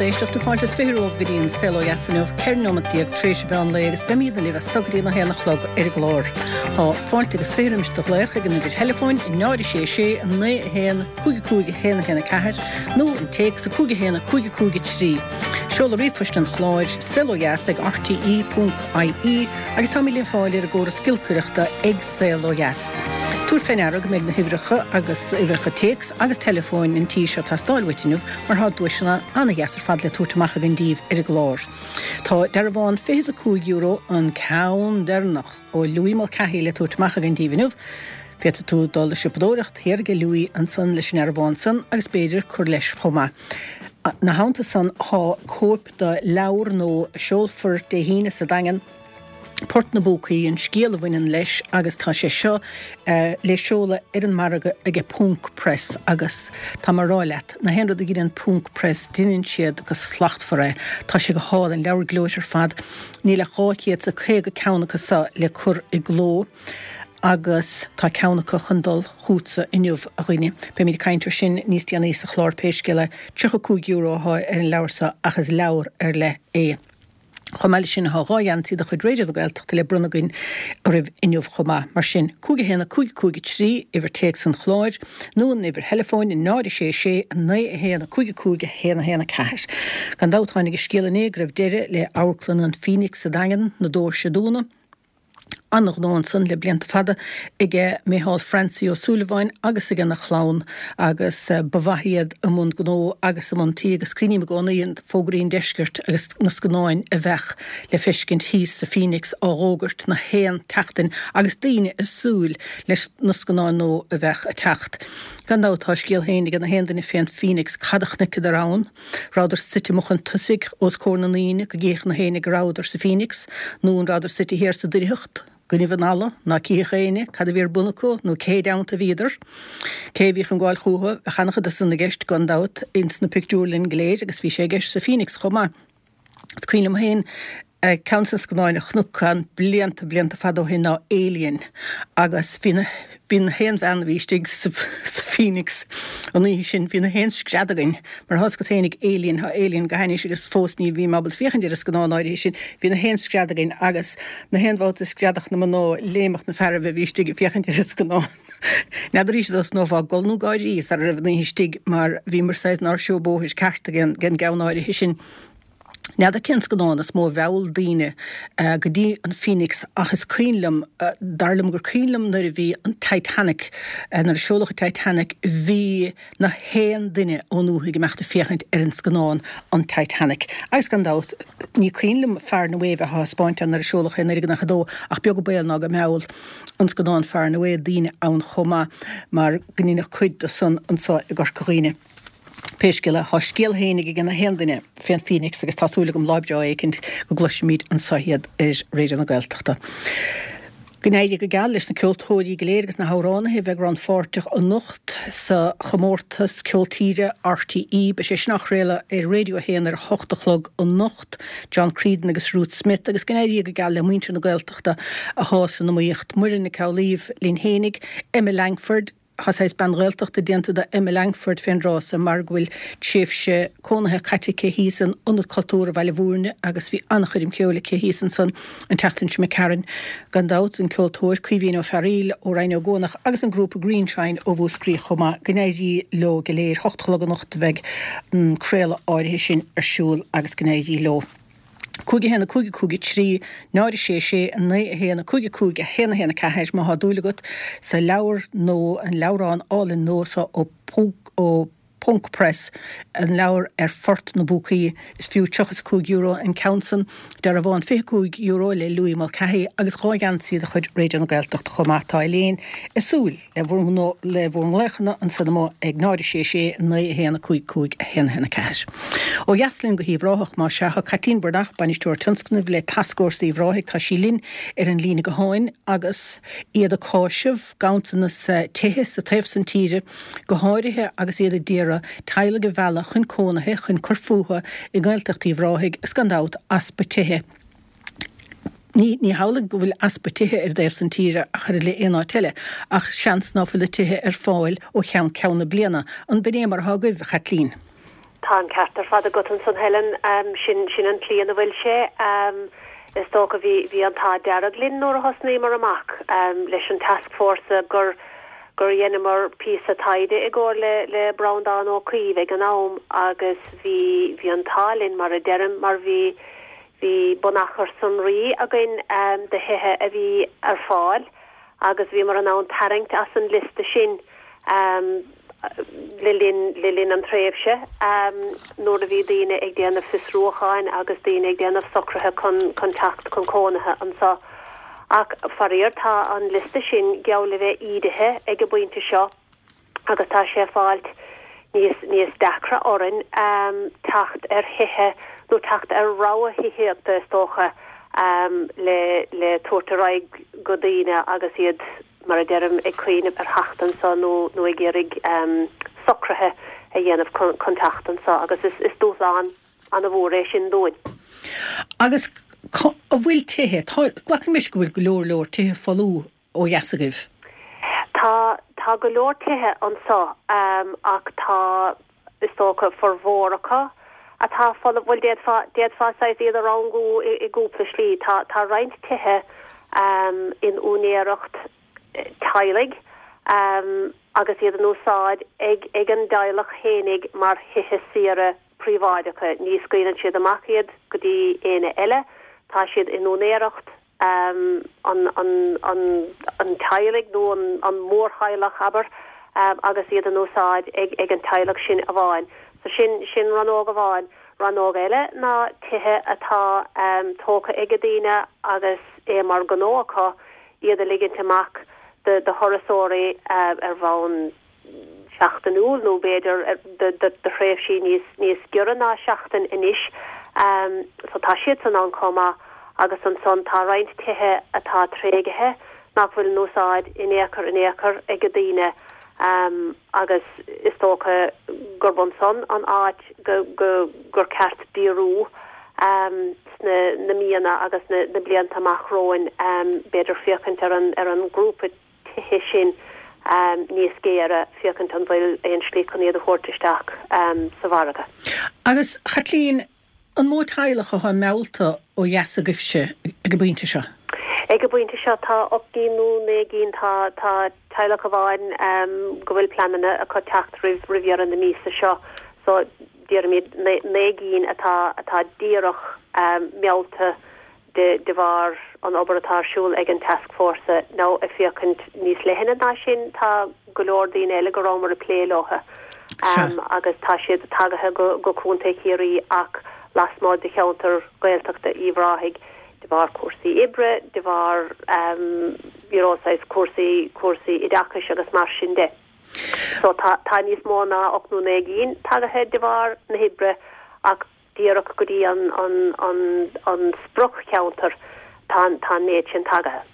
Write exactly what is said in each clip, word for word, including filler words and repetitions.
éisteachta fáilte is fiche romhaibh go dtí an Saol Ó Dheas inniu, ceithre nóiméad déag tar éis an mheán lae agus beimidne libh as so go dtí a haon a chlog ar an gclár. Tá fáilte agus fiche roimis do ghlaoch ag an uimhir theileafóin náid sé sé naoi a haon cúig cúig a haon a haon a ceathair nó an téacs a cúig a haon a cúig cúig a trí. Seoladh ríomhphoist an chláir saol ó dheas ag RTE ponc IE agus táimid le fáil ar an gcóras giolcaireachta ag Saol Ó Dheas. Tabhair fé ndeara go mbeidh na huimhreacha agus uimhreacha téacs agus teileafóin an tí seo ag teastáil uait inniu mar tá duaiseanna an-dheas ar fad le tabhairt amach againn daoibh ar an gclár. Tá dearbhán fiche a cúig euro an ceann deireanach ó Louis Mulcahy le tabhairt amach againn daoibh inniu. Féadfaidh tú dul ag siopadóireacht thiar ag Louis ansan leis an ndearbhán san agus b'fhéidir cur leis chomh maith. Ina theannta san tá cóip de leabhar nua a seolfar Dé hAoine sa Daingean, Port na bPúcaí, an scéal a bhaineann leis agus tá sé seo le seoladh ar an margadh aige Ponc Press agus tá mé ag rá leat, na haon rud a dheineann Ponc Press deineann siad go slachtmhar é. Tá sé go hálainn, leabhar gleoite ar fad. Níl ach dhá chéad is a caoga ceann acu seo le cur i gcló agus tá ceann acu chun dul chugatsa inniu a dhuine. Beimid ag caint ar sin níos déanaí sa chlár pé scéal é. tríocha cúig euro atá ar an leabhar seo ach is leabhar ar leith é. Chomh maith leis sin tá dhá gheansaí de chuid Raidió na Gaeltachta le bronnadh againn oraibh inniu chomh maith. Mar sin, cúig a haon a cúig cúig a trí, uimhir téacs an chláir, nó an uimhir theileafóin, náid a sé sé naoi a haon a cúig a cúig a haon a haon a ceathair. Gan dabht tháinig an scéal inné go raibh deireadh le Amharclann an Phoenix sa Daingean, na doirse a dúnadh. An-ghnó ansan le blianta fada aige Micheál Francie Ó Súilleabháin agus aige na chlann agus ba mhaith iad i mbun gnó agus i mbun tí agus cuimhním i gcónaí ar Fógraí an Deiscirt agus na scannáin a bheadh le feiscint thíos sa Phoenix á bhfógairt na haon tseachtain agus daoine ag súil leis na scannáin nua a bheadh ag teacht. Gan dabht tá a scéal féin ag na haon duine fén Phoenix cad a chonaiceadar ann, rabhadar suite amuigh chun tosaigh os comhair na ndaoine go gcífeadh na héinne go rabhadar sa Phoenix nó an rabhadar suite thiar sa doircheacht go nimh an fhalla ná cífeadh éinne cad a bhí ar bun acu nó cé dteannta a bhíodar. Cé a bhí chun gabháil chucu, bheadh an-chuid de san i gceist gan dabht ins na pictiúrlanna go léir agus bhí sé i gceist sa Phoenix chomh maith. Is cuimhin liom féin ceann de na scannáin a chonac ann blianta blianta fada ó shin ná Alien agus bhí na bhí na haon bhean a bhí istigh sa sa Phoenix an oíche sin bhí na haon scread againn mar tá a fhios agat féinig Alien tá Alien go hainnis agus fós ní bhím ábalta féachaint ar an scannán áirithe sin bhí na haon scread againn agus na haon bhabhta screadach na mná léimeadh na fearaibh a bhí istigh ag féachaint ar an scannán. N'fheadar arís dá snófá gol nó gáirí sara raibh an oíche istigh mar bhíomar saghas inár seó bóthair ceart ag an gceann áirithe sin. N'fheadar cén scannán is mó a mheall daoine go dtí an Phoenix ach is cuimhin liom, dar liom gur cuimhin liom nuair a bhí an Titanic, nuair a seoladh an Titanic, bhí na haon duine ón ndúthaigh ag imeacht ag féachaint ar an scannán an Titanic. Agus gan dabht, ní cuimhin liom Far and Away bheith á thaispeáint ann nuair a seoladh é i naoi déag nócha a dó ach beag an baol ná go mheall an scannán Far and Away daoine ann chomh maith mar go ndeineadh cuid de san anseo i gCorca Dhuibhne. Pé scéal é, tá scéal féinig ag na haon duine fén Phoenix agus tá súil agam lá breá éicint go gcloisfimid anseo iad ar Raidió na Gaeltachta. Go n-éirí go geal leis na ceoltóirí go léir agus na hamhránaithe a bheidh rannpháirteach anocht sa chomórtas Ceol Tíre RTÉ. Beidh sé sin á chraoladh ar Radio a haon ar a hocht a chlog anocht. John Creedon agus Ruth Smith agus go n-éirí go geal le muintir na Gaeltachta atá san iomaíocht. Muireann Nic Amhlaoibh linn fhéinig, Emma Langford, Tá saghas bean Ghaeltachta déanta de Emma Langford fén dtráth so mar go bhfuil tréimhse cónaithe caite aici thíos in Ionad Cultúrtha Bhaile Bhúirne agus bhí an-choirm cheoil aici thíos ansan an tseachtain seo imigh tharainn. Gan dabht, an ceoltóir Caoimhín Ó Fearaíl ó Rinn Ó gCuanach agus an grúpa Greenshine ó Mhúscraí chomh maith. Go n-éirí leo go léir. Hocht a chlog anocht a bheidh an craoladh áirithe sin ar siúl agus go n-éirí leo. Cúig a haon a cúig a cúig a trí, náid a sé sé, naoi a haon a cúig a cúig a haon a haon a ceathair má thá dúil agat sa leabhar nó an leabhrán álainn nua so ó ó Ponc Press, an leabhar ar Phort na bPúcaí. Is fiú tríocha is a cúig euro an ceann san, dearbhán fiche cúig euro le Louis Mulcahy agus dhá gheansaí de chuid Raidió na Gaeltachta chomh maith. Tá Elaine ag súil le bhur le bhur nglaochanna ansan amuigh ag náid a sé sé, naoi a haon a cúig cúig a haon a haon a ceathair. Ó dheas linn go hUíbh Ráthach, más ea, tá Caitlín Breathnach, Bainisteoir Tionscnaimh le Tascfhórsa Uíbh Ráthaigh, tá sí linn ar an líne gutháin agus iad ag cáiseamh ganntanas tithe sa taobh san tíre, go háirithe agus iad a d'iarraidh teaghlaigh a mhealladh chun cónaithe, chun cur fúthu i nGaeltacht Uíbh Ráthaigh, is gan dabht easpa tithe. Ní ní hamhlaidh go bhfuil easpa tithe ar an dtaobh san tíre ach oiread le aon áit eile, ach seans ná fuil na tithe ar fáil ó cheann ceann na bliana. An b'in é mar atá agaibh, a Chaitlín? Tá an ceart ar fad agat ansan Helen, sin sin an tslí ina bhfuil sé. Is dócha bhí bhí an t-ádh dearg linn nuair a thosnaíomar amach leis an tascfhórsa gur gur dheineamar píosa taighde i gcomhar le le Breandán Ó Caoimh ag an am agus bhí bhí an t-ádh linn mar a deirim mar bhí bhí bunachar sonraí againn de thithe a bhí ar fáil agus bhíomar in ann tarraingt as an liosta sin le linn le linn an tréimhse nuair a bhí daoine ag déanamh fiosrúcháin agus daoine ag déanamh socruithe chun chun teacht chun cónaithe anseo. Ach faraor tá an liosta sin geall le bheith ídithe ag an bpointe seo agus tá sé ag fáilt níos níos deacra orainn teacht ar thithe nó teacht ar rogha thithíochta is dócha le le tabhairt ar aghaidh go daoine agus iad mar a deirim ag cuimhneamh ar theacht anseo nó nó ag iarraidh socruithe a dhéanamh chun teacht anseo agus is is dúshlán an-mhór é sin dúinn. Agus an bhfuil tithe, tá, glacann mise go bhfuil go leor leor tithe folamh ó dheas agaibh? Tá, tá go leor tithe anseo ach tá, is dócha, formhór acu atá folamh, bhuel d'fhéadfá, d'fhéadfá saghas iad a rangú i, i gcúpla slí. Tá, tá roinnt tithe in úinéireacht teaghlaigh agus iad in úsáid ag ag an dteaghlach fhéinig mar thithe saoire príobháideacha. Ní scaoileann siad amach iad go dtí éinne eile, tá siad in úinéireacht an an an an teaghlaigh nó an an mórtheaghlach, abair, agus iad in úsáid ag ag an teaghlach sin amháin. So sin sin rannóg amháin. Rannóg eile ná tithe atá tógtha ag daoine agus é mar ghnó acu iad a ligint amach do thurasóirí ar bhonn seachtainiúil nó b'fhéidir do thréimhsí níos níos giorra ná seachtain anois. So tá siadsan ann chomh maith agus ansan tá roinnt tithe atá tréigthe nach bhfuil in úsáid in aon chor in aon chor ag daoine agus is dócha gurb ansan an áit go go gur ceart díriú sna na míonna agus na na blianta amach romhainn, b'fhéidir féachaint ar an ar an ngrúpa tithe sin níos géire, féachaint an bhfuil aon slí chun iad a thabhairt isteach sa mhargadh. Agus, Chaitlín, an mó teaghlach atá meallta ó dheas agaibhse ag an bpointe seo? Ag an bpointe seo tá ocht gcinn nó naoi gcinn. Tá tá teaghlach amháin go bhfuil pleananna acu teacht roimh roimh dheireadh na míosa seo so déarfaimid naoi gcinn atá atá díreach meallta de de bharr an obair atá ar siúl ag an tascfhórsa nó ag féachaint níos leithne ná sin tá go leor daoine eile go rabhamar ag plé leo agus tá siad tagaithe go go Contae Chiarraí ach lasmuigh de cheantar Gaeltachta Uíbh Ráthaigh de bharr cúrsaí oibre, de bharr you know saghas cúrsaí cúrsaí oideachais agus mar sin de. So tá tá níos mó ná ocht nó naoi gcinn tagaithe de bharr na hoibre ach díreach go dtí an an an an sprioc-cheantar tá tá an méid sin tagaithe.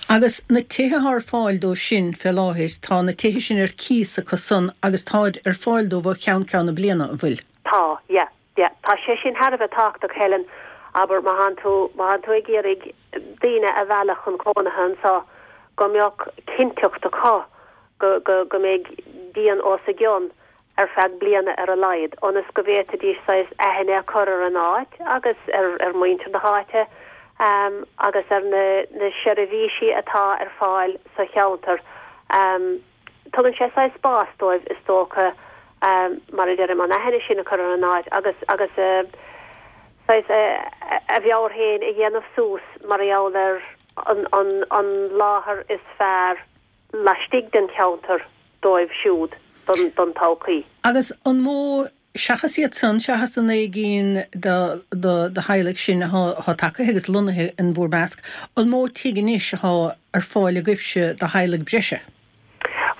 Agus na tithe atá ar fáil dóibh sin fé láthair, tá na tithe sin ar cíos acu san agus táid ar fáil dóibh ó cheann ceann na bliana, an bhfuil? Tá, yeah, yeah. Tá sé sin thar a bheith tábhachtach, Helen. Abair, má thánn tú, má thánn tú ag iarraidh daoine a mhealladh chun cónaithe anseo, go mbeadh cinnteacht acu go, go, go mbeidh díon os a gcionn ar feadh bliana ar a laghad, ionas go bhféadfaidís saghas aithne a chur ar an áit agus ar, ar mhuintir na háite agus ar na, na seirbhísí atá ar fáil sa cheantar. Tugann sé saghas spás dóibh, is dócha, mar a deirim, an aithne sin a chur ar an áit agus, agus saghas a mheabhair féin a dhéanamh suas mar gheall ar an, an, an láthair is fearr laistigh den cheantar dóibh siúd don, don todhchaí. Agus an mó, seachas iad san, seachas na naoi gcinn de, de, de theaghlaigh sin atá, atá tagaithe agus lonnaithe in bhur measc, an mó tigh anois atá ar fáil agaibhse do theaghlaigh breise?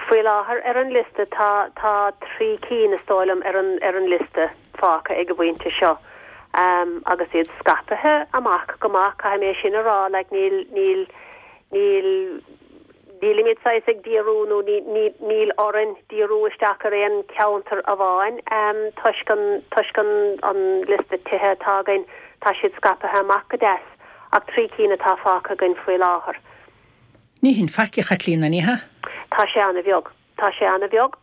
Faoi láthair ar an liosta tá tá trí cinn is dóigh liom ar an ar an liosta fágtha ag an bpointe seo agus iad scaipthe amach go maith, caithfidh mé sin a rá, like níl níl níl nílimid saghas ag díriú nó ní ní níl orainn díriú isteach ar aon cheantar amháin toisc an toisc an an liosta tithe atá againn, tá siad scaipthe amach go deas ach trí cinn atá fágtha againn faoi láthair. Ní hin faic, a Chaitlín, an ea? Tá sé an-bheag. Tá sé an-bheag.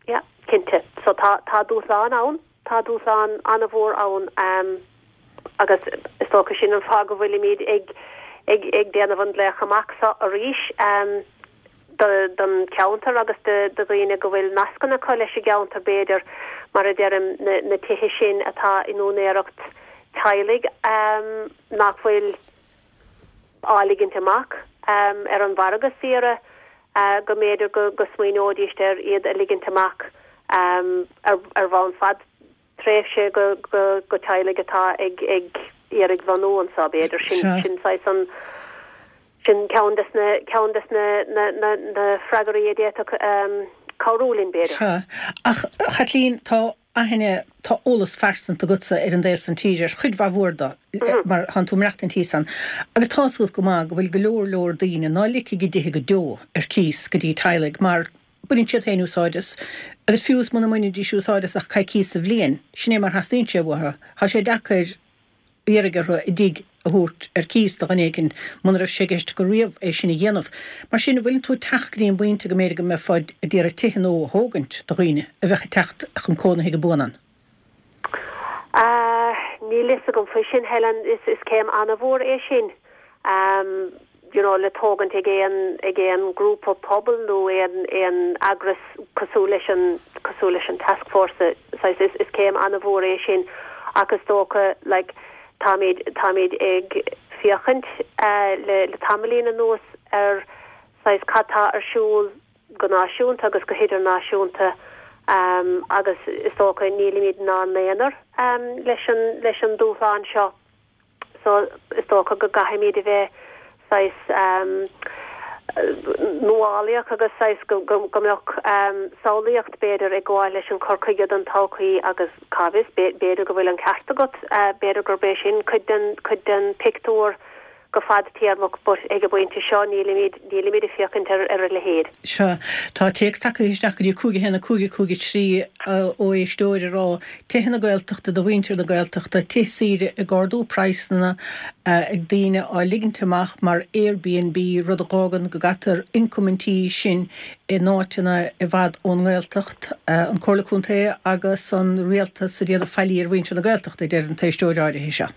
Yeah. Cinnte. So tá tá dúshlán ann, tá dúshlán an-mhór ann um, agus is dócha sin an fáth go bhfuilimid ag ag ag déanamh an glaoch amach seo arís um, do don ceantar agus do do dhaoine go bhfuil nascanna acu leis an gceantar b'fhéidir mar a deirim na, na tithe sin atá in úinéireacht teaghlaigh um, nach bhfuil á ligint amach um, ar an mhargadh saoire uh, go mb'fhéidir go, go smaoineoidís ar iad a ligint amach um, ar, ar bhonn fadtréimhse go, go, go teaghlaigh atá ag, ag iarraidh lonnú anseo b'fhéidir sin, Seo. sin saghas an sin ceann des na ceann des na, na, na, na freagraí a d'fhéadfadh um, cabhrú linn b'fhéidir. Sea. Ach Chaitlín tá aithne tá eolas phearsanta agatsa ar an dtaobh san tír ar chuid mhaith mhór de mar tá tú ag maireachtaint thíos ann. Agus tá a fhios agat go maith go bhfuil go leor leor daoine ná ligfidh a dtithe go deo ar cíos go dtí teaghlaigh mar baineann siad féin úsáid as agus fiú is muna mbainfidís úsáid as ach coicís sa bhliain, sin é mar theastaíonn sé uathu. Tá sé deacair iarraidh orthu a dtigh a thabhairt ar cíos do dhuine éigin muna raibh sé i gceist acu riamh é sin a dhéanamh. Mar sin bhfuil tú ag teacht go dtí an bpointe go mb'fhéidir go mbeifeá ag iarraidh tithe nua a thógaint do dhaoine a bheadh ag teacht chun cónaithe go buan ann. Uh, níl fhios agam faoi sin Helen is is céim an-mhór é sin. Um, you know, le tógaint ag aon ag aon grúpa pobail nó aon aon eagras cosúil leis an cosúil leis an taskforce saghas is, is céim an-mhór é sin agus dócha like, táimid táimid ag féachaint uh, le, le tamaillín anuas ar saghas cad tá ar siúl go náisiúnta agus go hidirnáisiúnta um, agus is dócha nílimid inár n-aonar um, leis an leis an dúshlán seo so is dócha go gcaithfimid a bheith saghas um, nuálaíoch agus saghas go, go, go mbeadh um, samhlaíocht b'fhéidir ag gabháil leis an cur chuige don todhchaí agus cá bhfios b'fhéidir go bhfuil an ceart agat uh, b'fhéidir gurb é sin cuid den cuid den pictiúr go fadtéarmach but ag an bpointe seo nílimid nílimid ag féachaint ar ar a leithéid. Sea tá téacs tagtha isteach go dtí cúig a haon a cúig a cúig a trí ó éisteoir ag rá tithe na Gaeltachta do mhuintir na Gaeltachta tithe saoire ag ardú praghsanna ag daoine á ligint amach mar Airbnb rud a fhágann go gcaitear ioncam an tí sin in áiteanna i bhfad ón nGaeltacht an Comhairle Contae agus an rialtas a déanamh faillí ar mhuintir na Gaeltachta deir an t-éisteoir áirithe seo.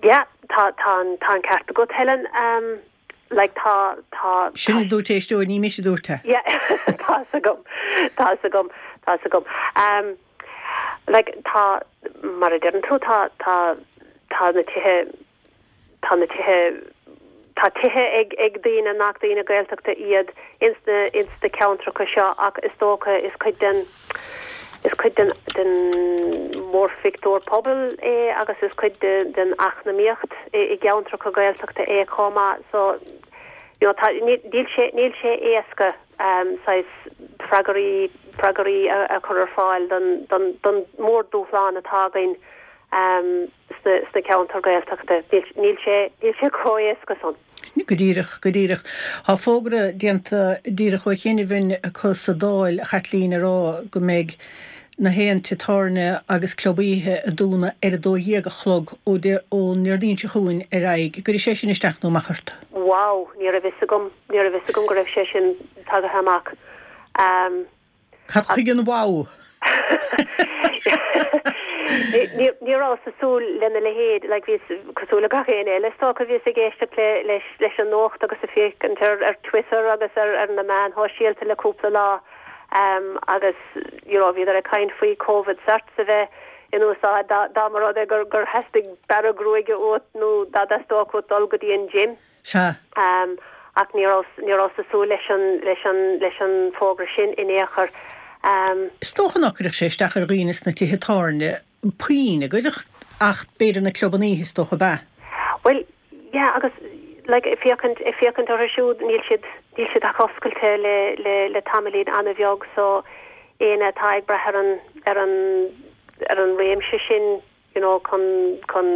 Ja, tá tá tá an ceart agat Helen um, like tá tá Sin dúirt éisteoir ní mise dúirt é. Yeah, tá agam tá agam tá agam. Um, like tá mar a deireann tú tá tá tá na tithe tá na tithe tá tithe ag ag daoine nach daoine Gaeltachta iad ins na ins na ceantracha seo ach is dócha is cuid den is cuid den den mórphictiúr pobail é agus is cuid de, den eacnamaíocht i, i gceantracha Gaeltachta é chomh maith so you know, tá níl sé níl sé éasca um, saghas freagraí freagraí a, a chur ar fáil don don don mórdúshlán atá againn um, sna sna ceantair Gaeltachta níl sé níl sé chomh héasca san. Go díreach go díreach. Tá fógra déanta díreach ó chinnehín acu sa Dáil Chaitlín ag rá go mbeidh na haon tithe tábhairne agus club oíche ag dúnadh ar a dó dhéag a chlog ó ón Déardaoin seo chugainn ar aghaidh, Gcuirfidh sé sin isteach nó amach ort. Wow, ní raibh fhios agam ní raibh fhios agam go raibh sé sin tagtha amach. Um, Cad chuige an wow? Ní rabhas ag súil lena leithéid le bhí cosúil le gach éinne eile tá bhíos ag éisteacht le leis leis an nuacht agus ag féachaint ar ar Twitter agus ar ar na meáin shóisialta le cúpla lá um, agus you know, bhíodar ag caint faoi COVID certs a bheith in úsáid dá dá mba rud é gur gur theastaigh bearradh gruaige uait nó dá dteastódh uait dul go dtí an gym. Sea. Um, ach ní ní rabhas ag súil leis an leis an leis an fógra sin in aon chor. Um, Is dócha nach gcuirfeadh sé isteach ar dhaoine sna tithe tábhairne puinn a gcuirfeadh ach b'fhéidir na clubanna oíche is dócha ab ea. Well, yeah, agus like féachaint féachaint orthu siúd níl siad níl siad ach oscailte le le le tamaillín an-bheag so éinne atá ag brath ar an ar an ar an réimse sin you know chun chun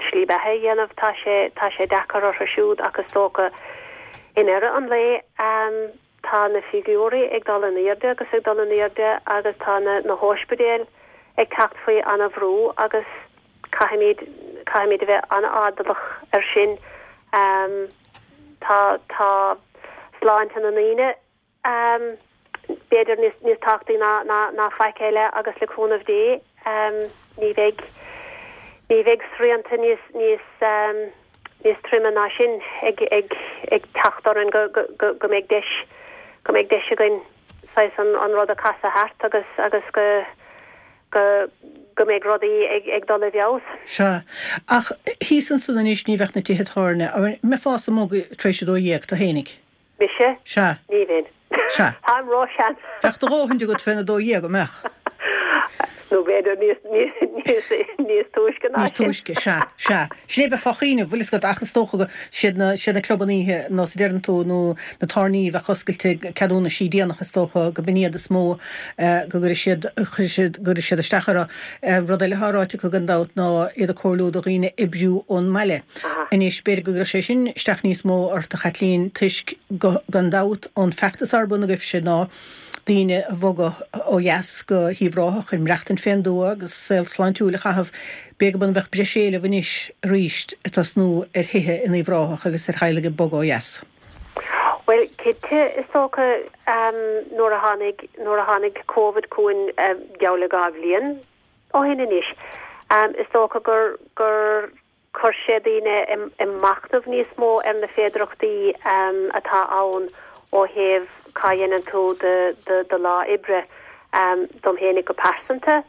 slí beatha a dhéanamh tá sé tá sé deacair orthu siúd agus dócha i ndeireadh an lae um, tá na figiúirí ag dul in airde agus ag dul in airde agus tá na na hospidéil ag teacht faoi an-bhrú agus caithfimid caithfimid a bheith an-airdeallach ar sin um, tá tá sláinte na ndaoine um, b'fhéidir níos níos tábhachtaí ná ná ná faic eile agus le cúnamh Dé ní bheidh ní bheidh srianta níos níos níos troime ná sin ag ag ag teacht orainn go go go go mbeidh deis go mbeidh deis againn saghas an an rud a chasadh thart agus agus go go go mbeidh rudaí ag ag dul i bhfeabhas. Sea. Ach thíos ansan anois ní bheadh na tithe tábhairne, an mbeifeása amuigh tar éis a dó dhéag tú fhéinig? Mise? Sea. Ní bheinn. Sea. Táim ró-shean. Bheadh do dhóthain agat féna dó dhéag, an mbeadh? Nó b'fhéidir níos, níos, níos, níos túisce ná Níos sin. túisce, sea, sea. Sin é bheith fá choinne, bhfuil fhios agat, ach is dócha go, siad na, siad na clubanna oíche, nós a deireann tú, nó na tábhairní a bheadh oscailte, ceadúnaisí déanach, is dócha go b'in iad is mó go gcuirfidh siad, chuirfidh siad, go gcuirfidh siad isteach orthu. Rud eile atá ráite acu gan dabht ná iad ag comhairliú do dhaoine oibriú ón mbaile. Anois, b'fhéidir go gcuirfeadh sé sin isteach níos mó ort, a Chaitlín, toisc go, gan dabht, an feachtas ar bun agaibhse ná daoine a bhogadh ó dheas go hUíbh Ráthach chun maireachtaint fén dtuath agus saol sláintiúil a chaitheamh, b'fhéidir go mbeadh breis éileamh anois arís ag tosnú ar thithe in Uíbh Ráthach agus ar theaghlaigh ag bogadh ó dheas. Bhuel, cinnte, is dócha, nuair a tháinig, nuair a tháinig Covid chugainn geall le dhá bhliain ó shin anois, is dócha gur, gur chuir sé daoine i machnamh níos mó ar na féidearthachtaí atá ann ó thaobh cá dhéanann tú do lá oibre. Dom fhéinig go pearsanta,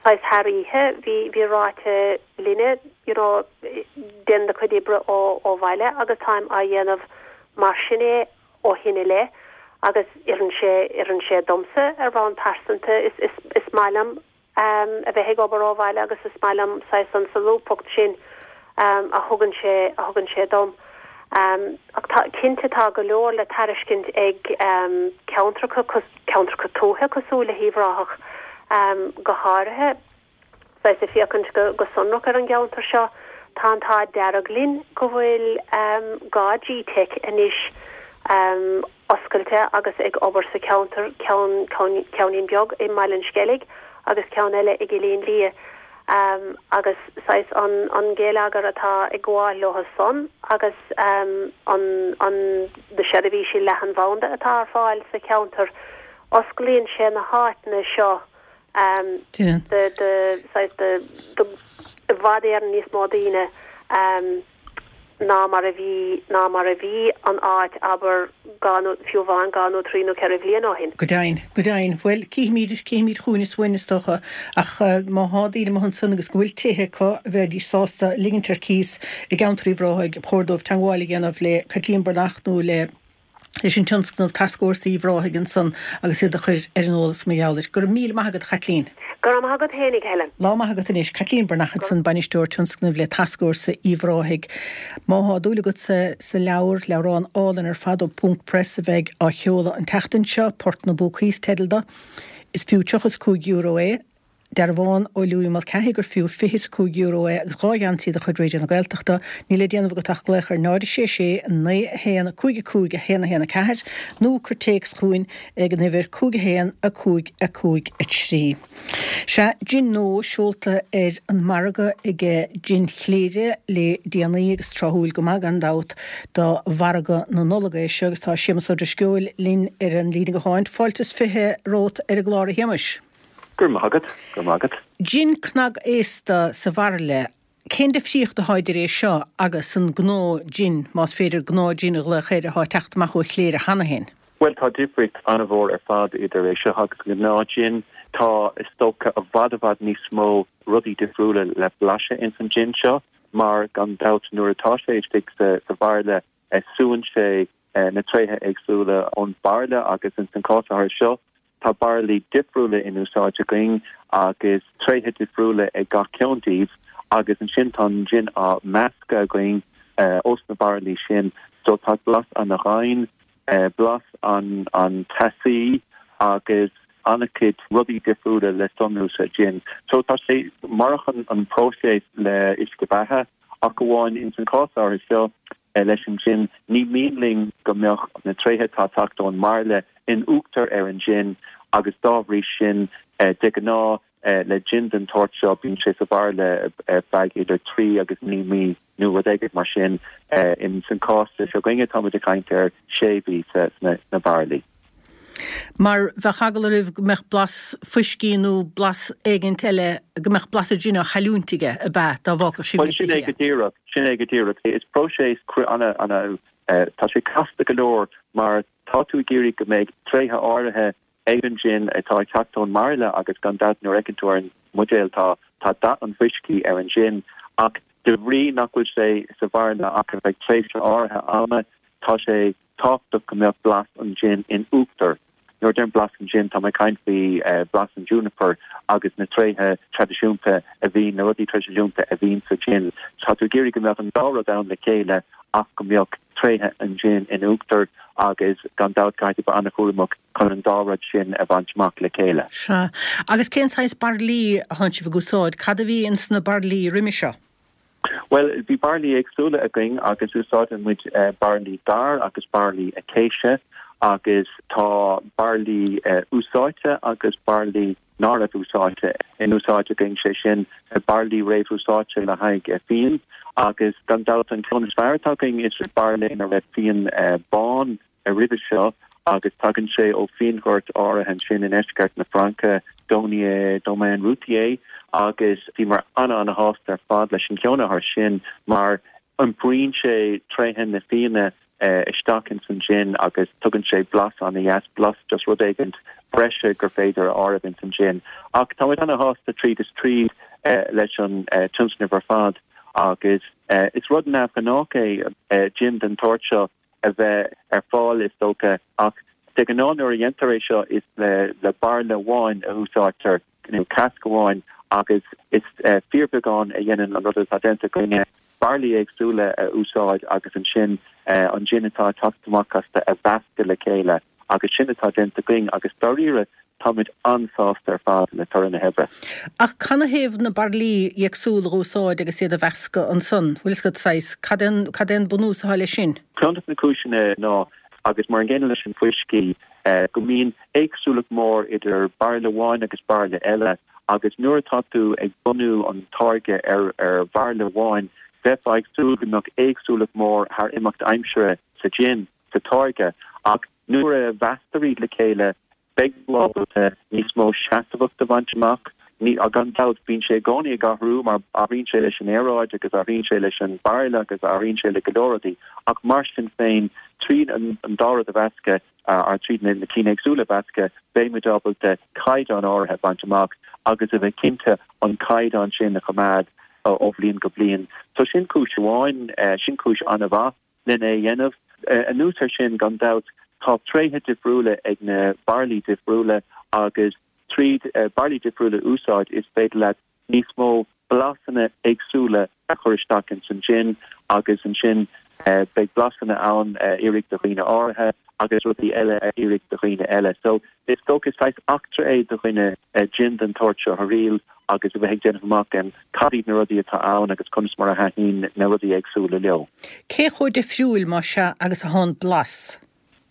saghas thar oíche, bhí bhí ráite linne, you know, déan do chuid oibre ó bhaile agus táim á dhéanamh mar sin é ó shin i leith agus oireann sé oireann sé domsa ar bhonn pearsanta. Is is is maith liom a bheith ag obair ó bhaile agus is maith liom saghas an solúbthacht sin a thugann sé a thugann sé dom. Ach tá, cinnte tá go leor le tairiscint ag ceantracha, ceantracha tuaithe cosúil le hUíbh Ráthach go háirithe. Saghas ag féachaint go go sonrach ar an gceantar seo, tá an t-ádh dearg linn go bhfuil dhá G-Teic anois oscailte agus ag obair sa cheantar, ceann, ceainnín beag i mBaile an Sceilg agus ceann eile i gCillín Liath agus saghas an, an geilleagar atá ag gabháil leo san agus an, an, na seirbhísí leathanbhanda atá ar fáil sa cheantar, osclaíonn sé na háiteanna seo do, do, saghas do, do, i bhfad Éireann níos mó daoine. ná mar a bhí, ná mar a bhí an áit, abair, dhá nó, fiú amháin dhá nó trí nó ceithre bhliain ó shin. Go deimhin, go deimhin. Bhuel, cífimid, cífimid chugainn is uainn, is dócha. Ach má thá daoine amuigh ansan agus go bhfuil tithe acu a bheidís sásta ligint ar cíos i gceantar Uíbh Ráthaigh, ba chóir dóibh teagmháil a dhéanamh le Caitlín Breathnach nó le leis an tionscnamh Tascfhórsa Uíbh Ráthaigh ansan agus iad a chur ar an eolas mar gheall air. Go raibh míle maith agat, a Chaitlín. Go raibh maith agat fhéinig, Helen. Lá maith agat anois. Caitlín Breathnach ansan, Bainisteoir Tionscnaimh le Tascfhórsa Uíbh Ráthaigh. Má thá dúil agat sa sa leabhar, leabhrán álainn ar fad ó Ponc Press a bheidh á sheoladh an tseachtain seo, Port na bPúcaí is teideal do. Is fiú tríocha is cúig euro é. Dearbhán ó Louis Mulcahy gur fiú fiche is a cúig euro é agus dhá gheansaí de chuid Raidió na Gaeltachta. Níl le déanamh agat ach glaoch ar náid a sé sé, naoi a haon, cúig a cúig, a haon a haon a ceathair nó cuir téacs chugainn ag an uimhir cúig a haon, a cúig, a cúig, a trí. Sea, jin nua seolta ar an margadh ag Jin Chléire le déanaí agus tráthúil go maith gan dabht do mhargadh na Nollag é seo agus tá Séamus Ó Drisceoil linn ar an líne gutháin. Fáilte is fiche romhat ar an gclár a Shéamais. Go raibh maith agat, go raibh maith agat. Jin cnagaosta sa bhairille, cén difríocht atá idir é seo agus an gnáth jin, más féidir gnáth jin a ghlaoch air, atá ag teacht amach ó Chléire cheana féin? Bhuel, tá difríocht an-mhór ar fad idir é seo agus an gnáth jin. Tá, is dócha, i bhfad i bhfad níos mó rudaí difriúla le blaiseadh ins an jin seo, mar gan dabht nuair atá sé istigh sa bhairille súann sé na tréithe éagsúla ón bhairille agus ins an cás áirithe seo, Tá bairillí difriúla in úsáid againn agus tréithe difriúla ag gach ceann díobh agus ansin tá an jin á meascadh againn ós na bairillí sin so tá blas ana-dhoimhin, blas an-teasaí agus an-chuid rudaí difriúla le sonrú sa jin. So tá sé mar an próiseas le uisce beatha ach amháin ins an cás áirithe seo leis an jin, ní mian linn go mbeadh na tréithe atá ag teacht ón mbairille in uachtar ar an jin agus dá bhrí sin, de ghnáth, le jin den tsórt seo, bíonn sé sa bhairille ar feadh idir trí agus naoi mí nó rud éigin mar sin. Ins an cás seo againne, táimid ag caint ar sé mhí sna bairillí. Mar bheadh eagla oraibh go mbeadh blas fuiscí nó blas éigint eile, go mbeadh blas an jin á chailliúint aige, ab ea, dá bhfágfadh sibh Bhuel, níos sin é oíche go díreach, sin é go díreach. Is próiseas ana, ana, tá sé casta go leor mar tá tú ag iarraidh go mbeidh tréithe áirithe ag an jin atá ag teacht ón mbairille agus gan dabht nuair a fheiceann tú ar an mbuidéal tá tá dath an fuiscí ar an jin ach de bhrí nach bhfuil sé sa bhairille ach ar feadh tréimhse áirithe ama tá sé tábhachtach go mbeadh blas an jin in uachtar. Nuair a deirim blas an jin tá mé ag caint faoi blas an juniper agus na tréithe traidisiúnta a bhíonn, na rudaí traidisiúnta a bhíonn sa jin. Tá tú ag iarraidh go mbeadh an dá rud ann le chéile ach go mbeadh tréithe an jin in uachtar agus gan dabht caithfidh tú bheith an-chúramach chun an dá rud sin a bhaint amach le chéile. Sea. Agus cén saghas bairillí a thánn sibh ag úsáid? Cad a bhí ins na bairillí roimhe seo? Bhuel, bhí bairillí éagsúla againn agus úsáideann muid bairillí dair agus bairillí acacia agus tá bairillí úsáidte agus bairillí ná raibh úsáidte in úsáid againn, sé sin bairillí réamhúsáidte le haghaidh fíon agus gan dabht an ceann is fearr atá againn is bairille ina raibh fíon bán roimhe seo agus tagann sé ó fíonghort áirithe ansin i ndeisceart na Fraince, Domaine Domaine Routier, agus bhíomar ana-ana-shásta ar fad leis an gceann áirithe sin mar iompraíonn sé tréithe na fíona isteach ins an jin agus tugann sé blas ana-dheas, blas just rud éigint breise gur féidir a áireamh ins an jin. Ach táimid ana-shásta tríd is tríd leis an tionscnamh ar fad agus is rud neamhghnách é jin den tsórt seo a bheith ar fáil is dócha ach de ghnáth nuair a dhéantar é seo is le le bairille amháin a úsáidtear nó cask amháin agus is fíorbheagán a dhéanann an rud atá déanta againne, bairillí éagsúla a úsáid agus ansin an jin atá ag teacht amach astu a mheascadh le chéile agus sin atá déanta againn agus dáiríre táimid an-sásta ar fad le toradh na hoibre. Ach canathaobh na bairillí éagsúla a úsáid agus iad a mheascadh ansan? Bhfuil fhios agat saghas, cad é an, cad é an bunús atá leis sin? Ceann de na cúiseanna ná, agus mar an gcéanna leis an fuiscí, go mbíonn éagsúlacht mór idir bairille amháin agus bairille eile agus nuair atá tú ag bunú an táirge ar ar bhairille amháin, bheifeá ag súil go mbeadh éagsúlacht mór thar imeacht aimsire sa jin, sa táirge, ach nuair a mheasctar iad le chéile, beidh tú ábalta níos mó seasmhacht a bhaint amach. Ní, gan dabht, bíonn sé i gcónaí ag athrú mar athraíonn sé leis an aeráid agus athraíonn sé leis an bairille agus athraíonn sé le go leor rudaí, ach mar sin féin, tríd an dá rud a mheascadh, ar tríd na cinn éagsúla a mheascadh, beidh muid ábalta caighdeán áirithe a bhaint amach agus a bheith cinnte an caighdeán sin a choimeád ó bhliain go bliain. So sin cúis amháin, sin cúis an-mhaith lena é a dhéanamh. Anuas air sin, gan dabht, tá tréithe difriúla ag na bairillí difriúla agus tríd bairillí difriúla a úsáid is féidir leat níos mó blasanna éagsúla a chur isteach ins an jin agus ansin beidh blasanna ann a oirfidh do dhaoine áirithe agus rudaí eile a oirfidh do dhaoine eile. So is dócha is saghas eachtra é do dhuine jin den tsórt seo a thriail agus a bheith ag déanamh amach cad iad na rudaí atá ann agus conas mar a thaitníonn na rudaí éagsúla leo. Cé chomh difriúil, más ea, agus atá an blas?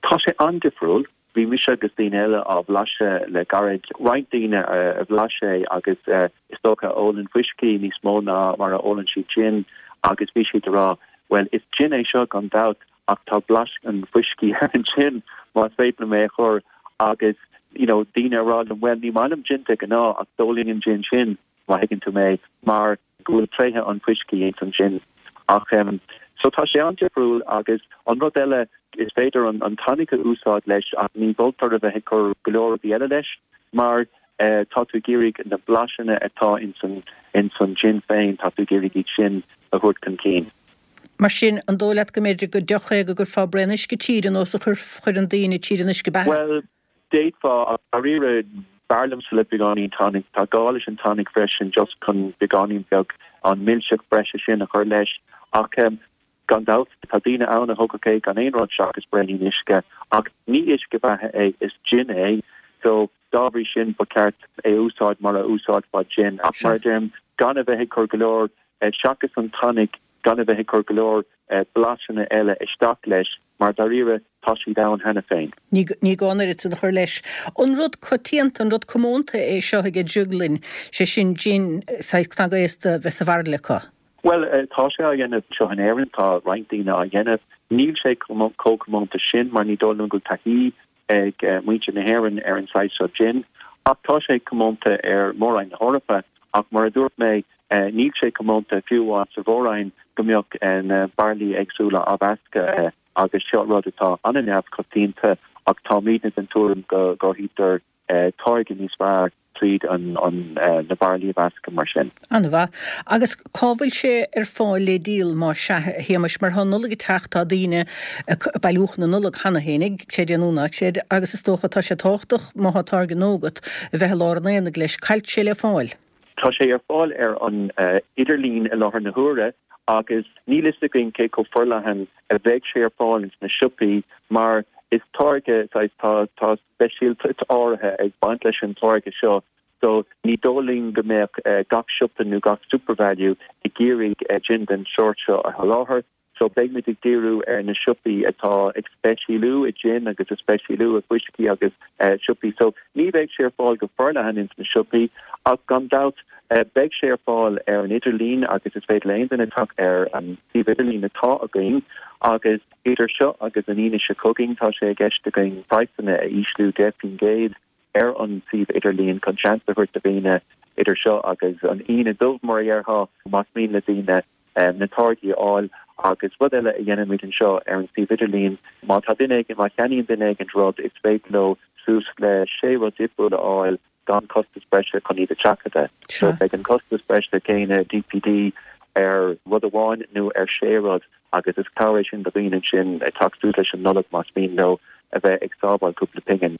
Tá sé an-difriúil. Bhí mise agus daoine eile á bhlaiseadh le gairid. Roinnt daoine a bhlais é agus is dócha a ólann fuiscí níos mó ná mar a ólann siad jin agus bhí siad ag rá, bhuel, is jin é seo gan dabht ach tá blas an fuiscí ar an jin, más féidir liom é a chur agus you know daoine ag rá liom, bhuel, ní maith liom jin de ghnáth ach d'ólfainn an jin sin, má thuigeann tú mé, mar go bhfuil tréithe an fuiscí ins an jin. Ach em so tá sé an-difriúil agus an rud eile is féidir an an tonic a úsáid leis ach ní mholtar a bheith ag cur go leor rudaí eile leis mar eh tá tú ag iarraidh na blasanna atá ins an ins an jin féin, tá tú ag iarraidh iad sin a thabhairt chun cinn. Mar sin, an dóigh leat go mb'fhéidir gur deoch é go gcuirfeá braon uisce tríd ar nós a chuireann daoine tríd an uisce beatha? Bhuel, d'fhéadfá, ach dáiríre, b'fhearr liomsa le beagáinín tonic. Tá gá leis an tonic freisin just chun beagáinín beag an milseacht breise sin a chur leis. Ach gan dabht, tá daoine ann a thógfadh é gan aon rud seachas braoinín uisce. Ach ní uisce beatha é, is gin é. So, dá bhrí sin, ba cheart é a úsáid mar a úsáidfeá gin. Ach mar a deirim, gan a bheith ag cur go leor, seachas an tonic, gan a bheith ag cur go leor blasanna eile isteach leis, mar dáiríre, tá siad ann cheana féin. Ní gá an oiread san a chur leis. An rud coitianta, an rud comónta é seo ag drioglainn, sé sin gin saghas cnagaosta a bheith sa bhairille acu? Bhuel, tá sé á dhéanamh anseo in Éirinn, tá roinnt daoine á dhéanamh. Níl sé chomh comónta sin mar ní dóigh liom go bhfuil taithí ag muintir na hÉireann ar an saghas seo gin, ach tá sé comónta ar Mhór-Roinn na hEorpa, ach mar a dúirt mé, níl sé comónta fiú amháin sa Mhór-Roinn go mbeadh na bairillí éagsúla á mheascadh agus seo rud atá an-neamhchoitianta ach táimidne den tuairim go gcruthaítear táirge níos fearr tríd an na bairillí a mheascadh mar sin. An-mhaith. Agus cá bhfuil sé ar fáil le díol má sea, a Shéamais? Mar tá an Nollaig ag teacht, tá daoine ag bailiúchán na Nollag cheana féinig, creid é nó ná creid, agus is dócha tá sé tábhachtach má thá táirge nua agat a bheith i lár an aonaigh leis. Cá bhfuil sé le fáil? Tá sé ar fáil ar an idirlíon i láthair na huaire agus níl fhios againn cé chomh forleathan a bheidh sé ar fáil ins na siopaí mar is táirge saghas tá tá speisialtacht áirithe ag baint leis an táirge seo so ní dóigh linn go mbeadh gach siopa nó gach SuperValu ag iarraidh gin den sórt seo a sholáthar so beidh muid ag díriú ar na siopaí atá ag speisialú i gin agus ag speisialú i bhfuiscí agus siopaí so ní bheidh sé ar fáil go forleathan ins na siopaí ach gan dabht beidh sé ar fáil ar an idirlíon agus is féidir le aon duine teacht ar an suíomh idirlín atá againn agus idir seo agus an Aoine seo chugainn tá sé i gceist againn praghsanna a ísliú deich faoin gcéad ar an suíomh idirlíon chun seans a thabhairt do dhaoine idir seo agus an Aoine Dubh mar a dhéarfá más mian le daoine na táirgí a fháil agus rud eile a dhéanaimid anseo ar an suíomh idirlíon má tá duine éigin má cheannaíonn duine éigin rud is féidir leo suas le sé rud difriúil a fháil gan costas breise chun iad a sheachadadh. So beidh an costas breise céanna DPD ar rud amháin nó ar sé rud agus is cabhair é sin do dhaoine ansin ag teacht suas leis an Nollaig más mian leo a bheith ag sábháil cúpla pingin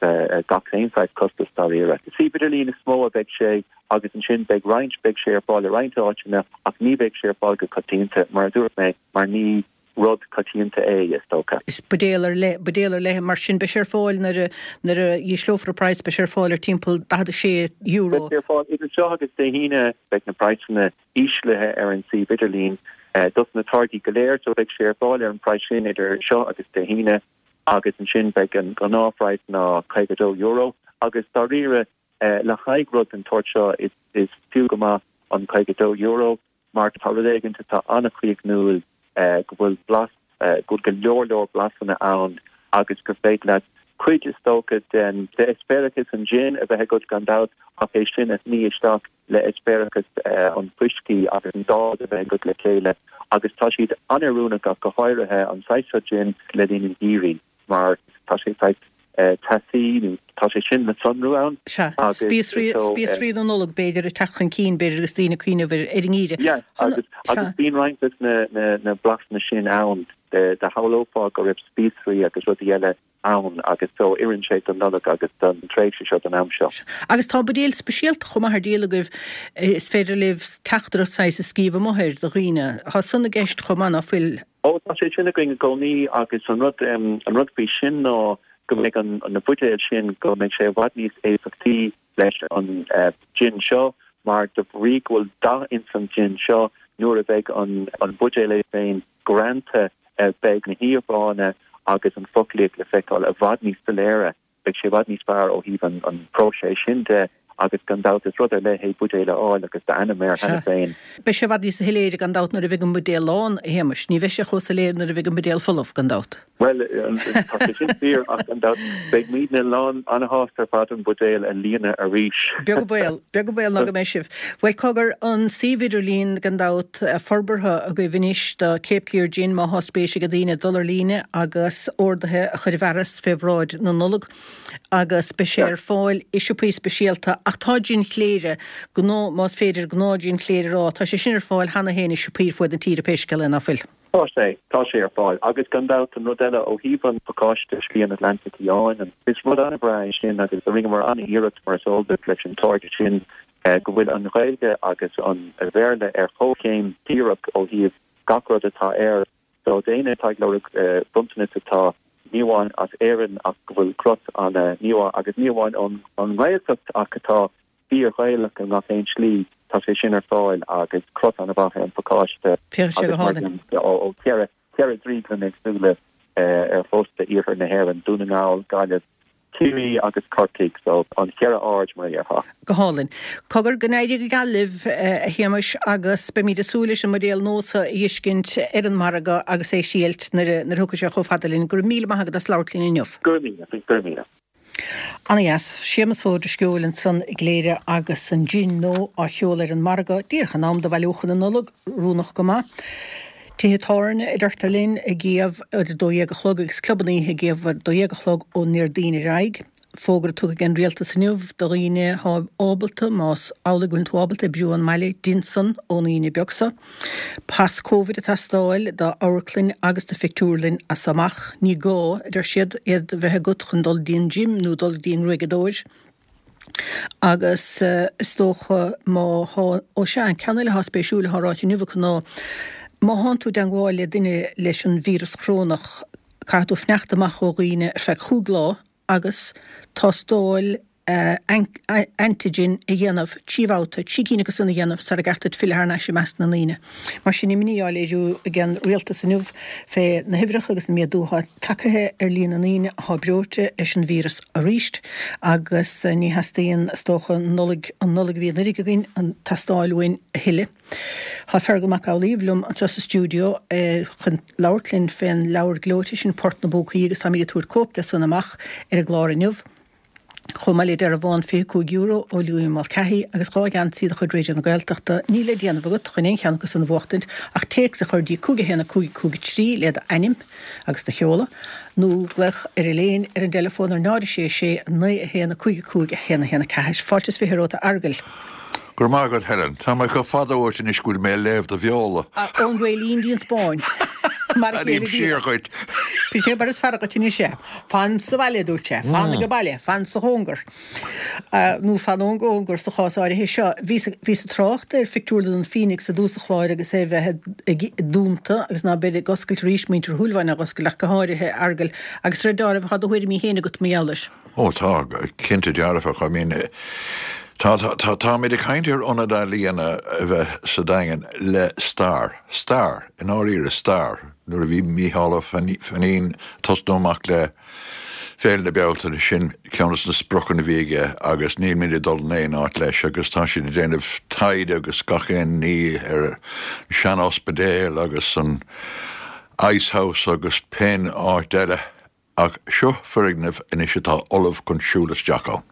gach aon saghas costas dáiríre. Suíomh idirlín is mó a bheidh sé agus ansin beidh roinnt, beidh sé ar fáil i roinnt áiteanna ach ní bheidh sé ar fáil go coitianta mar a dúirt mé mar ní rud coitianta é, is dócha. Is buidéal ar leith, buidéal ar leith, mar sin beidh sé ar fáil nuair a, nuair a ísleofar an praghas, beidh sé ar fáil ar timpeall daichead a sé euro. Beidh sé ar fáil idir seo agus Dé hAoine, beidh na praghsanna íslithe ar an suíomh idirlín dos na táirgí go léir, so beidh sé ar fáil ar an praghas sin idir seo agus Dé hAoine agus ansin beidh an gnáthphraghas ná caoga dó euro agus dáiríre le haghaidh rud den tsórt seo is, is fiú go maith an caoga dó euro. Mar tá rud éigin atá an-chríochnúil, go bhfuil blas, go bhfuil go leor leor blasanna ann agus gur féidir leat cuid, is dócha, den eispéireachas an gin a bheith agat gan dabht ach é sin a shní isteach le eispéireachas an fuiscí agus an dá a bheith agat le chéile agus tá siad an-oiriúnach ach go háirithe an saghas seo gin le linn an gheimhridh mar tá sé saghas teasaí nó tá sé sin le sonrú ann. Sea, spíosraí, spíosraí na Nollag b'fhéidir ag teacht chun cinn b'fhéidir agus daoine ag cuimhneamh ar an ngeimhreadh. Yeah, agus, agus bíonn roinnt de na, na, na blasanna sin ann, do shamhlófá go raibh spíosraí agus rudaí eile ann agus so oireann sé don Nollaig agus don tréimhse seo, don am seo. Agus tá buidéal speisialta chomh maith ar díol agaibh, is féidir libh teachtaireacht saghas a scríobh amuigh air do dhaoine. Tá san i gceist chomh maith, ná fuil? Ó, tá sé sin againn i gcónaí agus an rud, an rud faoi sin ná go mbeidh an, na buidéil sin, go mbeidh sé i bhfad níos éifeachtaí leis an gin seo mar de bhrí go bhfuil dath ins an gin seo nuair a bheidh an, an buidéal é féin greanta beidh na híomhánna agus an foclaíocht le feiceáil i bhfad níos soiléire. Beidh sé i bhfad níos fearr ó thaobh an, an próiseas sin de agus gan dabht is rud ar leith é buidéal a fháil agus d'ainm air cheana féin. Beidh sé i bhfad níos soiléire gan dabht nuair a bheidh an buidéal lán, a Shéamais. Ní bheidh sé chomh soiléir nuair a bheidh an buidéal folamh, gan dabht. Bhuel, tá sé sin fíor ach gan dabht beidh muidne lán an-shásta ar fad an buidéal a líonadh arís. Beag an baol, beag an baol ná go mbeidh sibh. Bhuel, cogar, an suíomh idirlín gan dabht forbartha agaibh anois do Cape Clear Gin má thá spéis ag daoine dul ar líne agus orduithe a chur i bhfearas fé bhráid na Nollag. agus beidh sé ar fáil i siopaí speisialta ach tá jin chléire, gnáth, más féidir gnáth jin chléire a rá, tá sé sin ar fáil cheana féin i siopaí ar fuaid na tíre pé scéal é, ná fuil? Tá sé, tá sé ar fáil agus gan dabht an rud eile ó thaobh an phacáiste Slí an Atlantaigh Fhiáin, is rud an-bhreá é sin agus rinneamar an-iarracht mar is eol duit leis an táirge sin go bhfuil an Ghaeilge agus an Bhéarla ar chomhchéim díreach ó thaobh gach rud atá air. So d'éinne atá ag lorg bronntanas atá ní amháin as Éirinn ach go bhfuil crot ana ní amháin agus ní amháin ón nGaeltacht ach atá fíor-Ghaelach i ngach aon slí, tá sé sin ar fáil agus crot ana mhaith ar an phacáiste Féachann sé go agus mar hálainn. ó cheithre ceithre drioglann éagsúla ar chósta iarthar na hÉireann, Dún na nGall, Gaillimh, Ciarraí agus Corcaigh, so an cheithre aird mar a déarfá. Go hálainn. Cogar, go n-éirí go geal libh, a Shéamais, agus beimid ag súil leis an mbuidéal nua seo a fheiscint ar an margadh agus é a thriailt nuair a thiocfaidh sé chomh fada linn. Go raibh míle maith agat as labhairt linn inniu. Go raibh míle, go raibh míle. Ana dheas. Séamus Ó Drisceoil ansan i gCléire agus an jin nua á sheoladh ar an margadh díreach in am do bhailiúchán na Nollag, oiriúnach go maith. Tithe tábhairne, a deirtear linn, ag iamh ar a dó dhéag a chlog agus clubanna oíche ag iamh ar a dó dhéag a chlog ón nDéardaoin ar aghaidh. Fógra tugtha ag an Rialtas inniu do dhaoine atá ábalta, más amhlaidh go bhfuil tú ábalta oibriú ón mbaile, dein san ón Aoine beag seo. Pas Covid ag teastáil do amharclainn agus do phictiúrlann as so amach. Ní gá, a deir siad, iad a bheith agat chun dul dtí an gym nó dul dtí an ngruaigeadóir. Agus is dócha má thá, ó sea, an ceann eile atá spéisiúil atá ráite inniu acu ná má thánn tú i dteangmháil le duine leis an víreas corónach, caithfidh tú fanacht amach ó dhaoine ar feadh chúig lá agus tástáil antigen a dhéanamh trí bhabhta, trí cinn acu san a dhéanamh sara gceart duit filleadh thar n-ais i measc na ndaoine. Mar sin, imní á léiriú ag an rialtas inniu fé na huimhreacha agus an méadú atá tagtha ar líon na ndaoine atá breoite leis an víreas arís agus ní theastaíonn, is dócha, an Nollaig, an Nollaig a bhí anuraidh againn, ag teastáil uainn a thuilleadh. Tá Feargal Mac Amhlaoibh liom anseo sa stiúideo chun labhairt linn fén leabhar gleoite sin Port na bPúcaí agus táimid ag tabhairt cóip de san amach ar an gclár inniu. Chomh maith le dearbhán fiche cúig euro ó Louis Mulcahy agus dhá gheansaí de chuid Raidió na Gaeltachta, níl le déanamh agat chun aon cheann acu san a bhuachtaint ach téacs a chur dtí cúig a haon a cúig cúig a trí le d'ainm agus do sheoladh, nó glaoch ar Elaine ar an dteileafón ar náid a sé sé naoi a haon a cúig a cúig a haon a haon a ceathair. Fáilte is fiche romhat a Fheargail. Go raibh maith agat Helen. Tá mé chomh fada uait anois go bhfuil mé ag léamh do bheola. Ón Réilín dtí an Spáinn. Mar a chéile Airím siar dhuit. Bhí sé mar is fearr dhuit anois é. Fan sa bhaile, a dúirt sé. Fan age baile. Fan sa chóngar. Nó fan ón gcóngar sa chás áirithe seo. Bhíos ag trácht ar phictiúrlann an Phoenix i dtús an chláir agus é a bheith dúnta agus ná beidh ag oscailt arís, muintir Shúilleabháin á oscailt ach go háirithe, a Fheargail. Agus ar deáramh, tá do thuairimí féin agat mar gheall air. Ó tá, cinnte dearfach. I mean, tá, tá, táimid ag caint ar ionad ealaíona a bheith sa Daingean le stair, stair, i ndáiríre, stair. Nuair a bhí Mícheál Ó Fainín ag tosnú amach le Féile na Bealtaine, sin ceann de na spriocanna a bhí aige agus nílimid ag dul in aon áit leis agus tá siad ag déanamh taighde agus gach aon ní ar an sean-ospidéal agus an Ice House agus pén áit eile. Ach seo foirgneamh anois atá ullamh chun siúl isteach ann.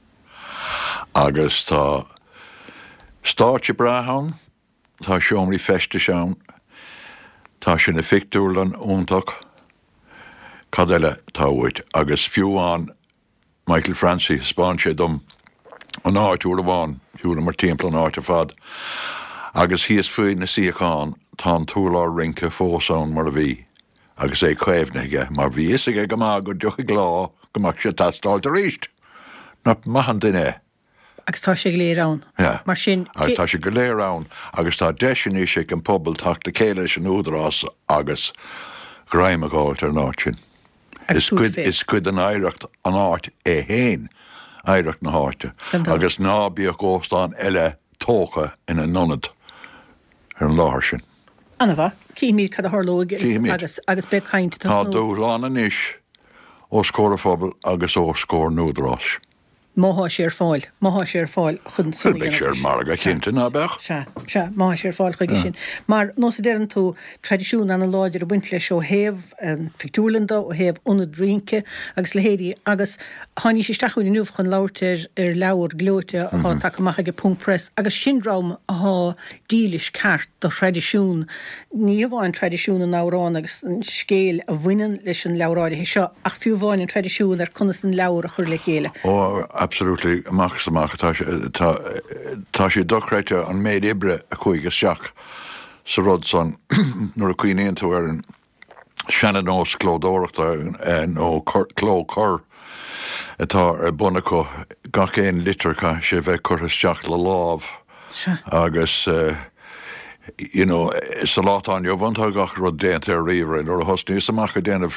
Agus tá stáitse breá ann, tá seomraí feistis ann, tá sé ina phictiúrlann iontach, cad eile atá uait? Agus fiú amháin Michael Francie, thaispeáin sé dom an áit uair amháin, shiúlamar timpeall an áit ar fad, agus thíos faoi na suíocháin tá an t-urlár rince fós ann mar a bhí. agus é caomhnaithe aige, mar bhí fhios aige go maith go dtiocfadh lá go mbeadh sé ag teastáilt arís. Nach maith an duine é? Agus tá sé go léir ann. Yeah. Mar sin, Agus tá sé go léir ann agus tá deis anois ag an pobal teacht le chéile leis an Údarás agus greim a fháilt ar an áit sin. Agus Is cuid, tabhairt fé. is cuid den oidhreacht an áit é féin, oidhreacht na háite. Gan dabht. Agus ná bíodh óstán eile tógtha ina n-ionad ar an láthair sin. Ana-mhaith. Cífimid cad a tharlóidh Cífimid. agus agus beidh caint ag Tá tosnú. dúshlán anois os comhair an phobail agus os comhair an Údaráis. Má thá sé ar fáil. Má thá sé ar fáil chun san Bhuel, a beidh sé dhéanamh ar leis. margadh, Sea. cinnte, ná beadh? Sea, sea, má thá sé ar fáil chuige sin. Mar, nós a deireann tú, traidisiún ana-láidir ag baint leis ó thaobh an phictiúrlann de, ó thaobh ionad rince agus leithéidí agus tháinís isteach chugainn inniu chun labhairt ar ar leabhar gleoite athá tagtha amach ag Ponc Press agus sin dream athá dílis ceart do thraidisiún, ní hamháin traidisiún na n-amhrán agus an scéil a bhaineann leis an leabhar áirithe seo, ach fiú amháin an traidisiún ar conas an leabhar a chur le chéile. Ó, absolutely, amach is amach, tá sé, tá, tá sé dochreidte an méid oibre a chuaigh isteach sa rud san nuair a chuimhníonn tú ar an seana-nós clódóireachta nó cló cur atá ar bun acu, gach aon litir caithfidh sé bheith curtha isteach le lámh agus you know sa lá atá inniu ann tá gach rud déanta ar ríomhaire. Nuair a thosnaíos amach ag déanamh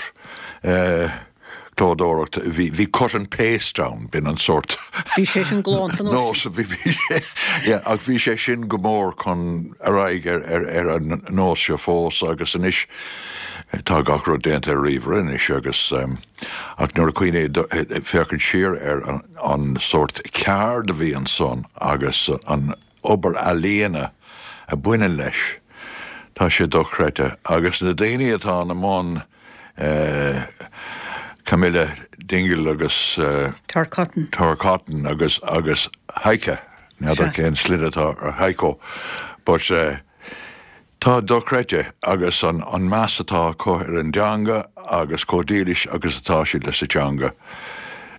clódóireacht bhí bhí cut and paste ann, b'in an sórt Bhí sé sin galánta nós a bhí bhí sé yeah ach bhí sé sin go mór chun ar aghaidh ar ar ar an nós seo fós agus anois Tá gach rud déanta ar ríomhaire anois agus ach nuair a cuimhní féachaint siar ar an, an sórt ceard a bhí ansan agus an obair ealaíona a bhaineann leis, tá sé dochreidte. Agus na daoine atá ina mbun, Camilla Dingle agus Tor Cotton. Tor Cotton agus agus Heike, n'fheadar cén sloinne atá ar Heiko, but tá dochreidte agus an an meas atá acu ar an dteanga agus chomh dílis agus atá siad leis an teanga,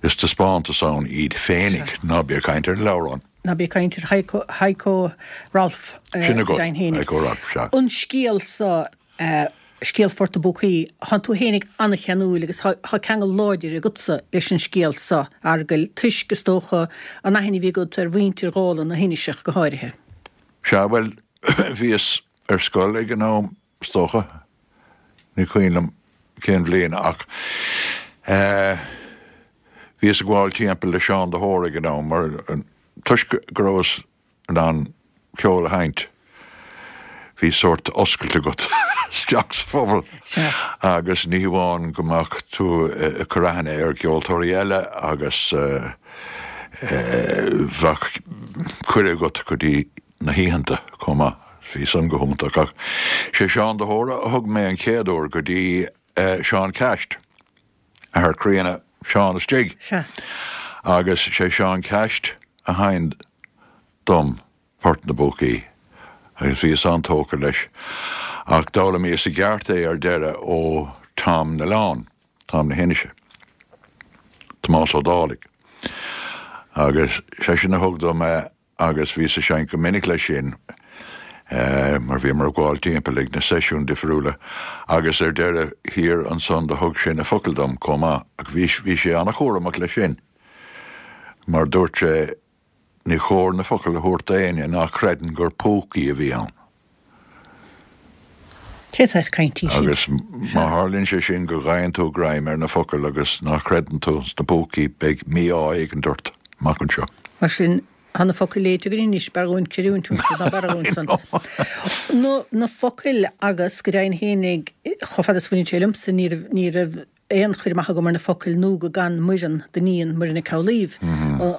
is taispeántas ann iad féinig, ná bí ag caint ar an leabhrán. Ná bí ag caint ar Heiko, Heiko Rolfe, Sin agat, Heiko Rolfe, sea. An scéal so, scéal Phort na bPúcaí, thánn tú fhéinig an-cheanúil agus thá ceangal láidir agatsa leis an scéal so, a Fheargail, toisc, is dócha, an aithne a bhí agat ar mhuintir Dhála na hIniseach go háirithe. Sea, bhuel, bhíos ar scoil ag an am, is dócha, ní cuimhin liom cén bhliain ach eh, bhíos ag gabháil timpeall le Seán de hÓra ag an am mar toisc go rabhas in ann ceol a sheinnt, bhí sórt oscailt agat isteach sa phobal agus ní hamháin go mbeadh tú ag cur aithne ar cheoltóirí eile agus bheadh cuireadh agat go dtí na hoícheanta chomh maith. Bhí san go hiontach ach sé Seán de hÓra a thug mé an chéad uair go dtí Seán Caist, athair críonna Seán istigh. Agus sé Seán Caist a sheinn dom Port na bPúcaí agus bhíos an-tógtha leis. Ach d'fhoghlaimíos i gceart é ar deireadh ó Tom na nOileán, Tom na hInise, Tomás Ó Dálaigh. Agus seisean a thug dom é agus bhíos ag seinnt go minic leis sin mar bhíomar ag gabháil timpeall ag na seisiúin difriúla agus ar deireadh thiar ansan do thug sé na focail dom chomh maith ach bhí bhí sé an-chúramach leis sin mar dúirt sé ní chóir na focail a thabhairt d'éinne ná creideann gur púcaí a bhí ann. Cén saghas caint í sin? Agus má tharlaíonn sé sin go bhfaigheann tú greim ar na focail agus ná chreideann tú sna púcaí beidh mí-ádh éigin ort amach anseo. Mar sin, tá na focail léite againn anois, b'fhearr dhúinn creidiúint ná b'fhearr dhúinn san. Na, na focail agus go deimhin fhéinig, chomh fada is a bhaineann sé liomsa, ní raibh, ní raibh aon chur amach agam ar na focail nó go gcan Muireann, d'iníon, Muireann Nic Amhlaoibh,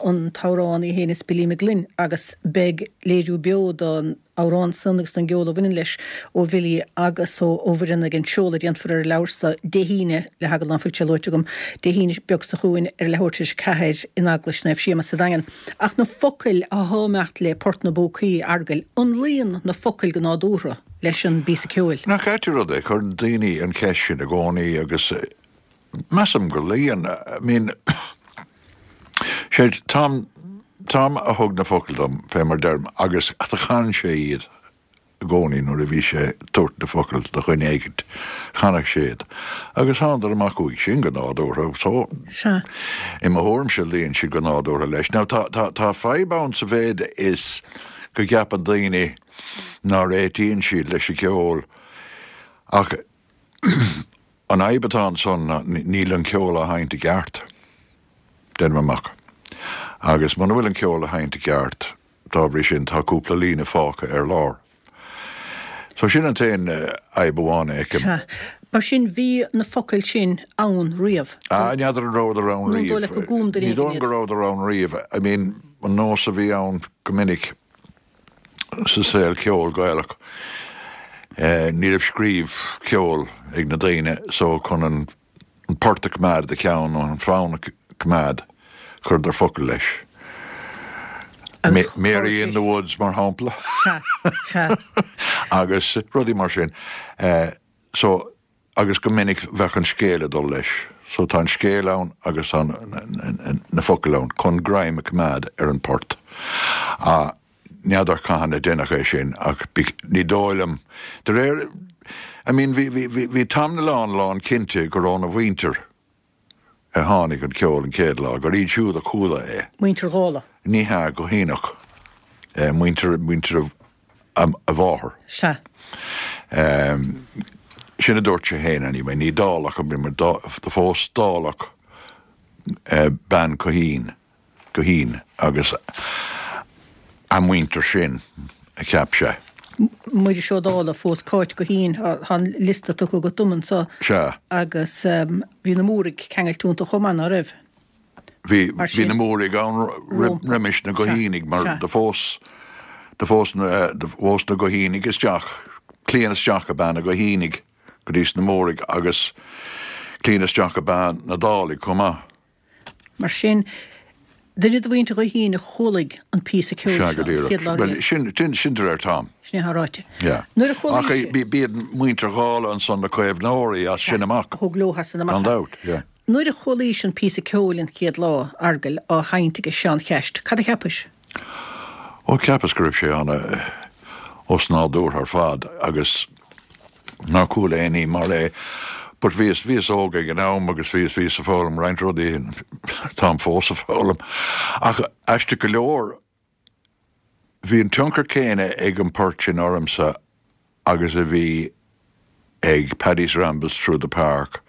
an t-amhrán í fhéin is Billy McGlynn agus beidh léiriú beo don amhrán san agus don gceol a bhaineann leis ó Bhilly agus ó Mhuireann ag an seoladh a déanfar ar an leabhar so Dé hAoine, le heagal ná fuil sé luaite agam, Dé hAoine beag so chugainn ar a leathuair tar éis a ceathair in Eaglais Naomh Séamus sa Daingean. Ach na focail athá ag imeacht le Port na bPúcaí, a Fheargail, an luíonn na focail go nádúrtha leis an bpíosa ceoil? Nach ait an rud é, cuireann daoine an cheist sin i gcónaí agus measaim go luíonn. I mean, sé Tom, Tom a thug na focail dom, fé mar deirim, agus do chan sé iad i gcónaí nuair a bhí sé ag tabhairt na focail do dhuine éigint, chanadh sé iad. Agus thánadar amach uaidh sin go nádúrtha, so, Sea. i mo thuairimse luíonn siad go nádúrtha leis. Now, tá, tá, tá fadhb ann sa mhéid is go gceapann daoine ná réitíonn siad leis an gceol ach an fhadhb atá ansan ná níl an ceol á sheinnt i gceart, deinim amach. Agus muna bhfuil an ceol á sheinnt i gceart, dá bhrí sin tá cúpla líne fágtha ar lár. So sin an t-aon fhadhb amháin a fheicim. Sea. Mar sin bhí na focail sin ann riamh? Ah, n'fheadar an rabhadar ann Nó an dóigh riamh. leat go gcum duine Ní éigin dóigh liom iad? go rabhadar ann riamh. I mean, an nós a bhí ann go minic sa saol ceoil Gaelach, ní raibh scríobh ceoil ag na daoine so chun an port a choimeád i do cheann nó an fonn a choimeád, chuireadar focail leis. Mary in the Woods mar shampla. Sea, sea. Agus rudaí mar sin. So, agus go minic bheadh an scéal ag dul leis. So tá an scéal ann agus tá na focail ann chun greim a choimeád ar an bport. N'fheadar cathain a deineadh é sin ach ní dóigh liom, de réir, I mean bhí, bhí, bhí Tom na nOileán lán cinnte gur óna mhuintir a tháinig an ceol an chéad lá, gur iad siúd a chuala é. Muintir Dhála? Ní hea, go hionach. Muintir, muintir a mháthar. Sea. Sin a dúirt sé féin anyway, ní Dálach a bhí mar do phós Dálach bean Guithín, Guithín agus a muintir sin a cheap sé. Muiris Ó Dálaigh a phós Cáit Guithín, tá an liosta tugtha agat dom anseo. Sea. Agus bhí na Múraigh ceangailte iontu chomh maith, ná raibh? Bhí, bhí na Múraigh ann roimis na Guithínigh mar do phós, do phós na, do phós na Guithínigh isteach, claíon isteach ab ea na Guithínigh go dtí sna Múraigh agus claíon isteach ab ea na Dálaigh chomh maith. Mar sin, duine de mhuintir Ghuithín a chualaigh an píosa ceoil Sea, seo go an díreach. chéad lá Bhuel, riamh. sin, sin, sin de réir Tom. Sin é atá ráite. Yeah. Nuair a chualaigh Ach sé. b'iad muintir Dhálaigh ansan na caomhnóirí as sin amach. A thóg leo as sin amach. Gan dabht, yeah. Nuair a chualaís an píosa ceoil an chéad lá, Fheargail, á sheinnt aige Seán Cheaist, cad a cheapais? Ó, cheapas go raibh sé ana osnádúrtha ar fad agus nár chuala aon ní mar é. But bhíos, bhíos óg ag an am agus bhíos, bhíos ag foghlaim roinnt rudaí, táim fós ag foghlaim. Ach aisteach go leor, bhí an tionchar céanna ag an port sin ormsa agus a bhí ag Paddy's Rambles Through the Park,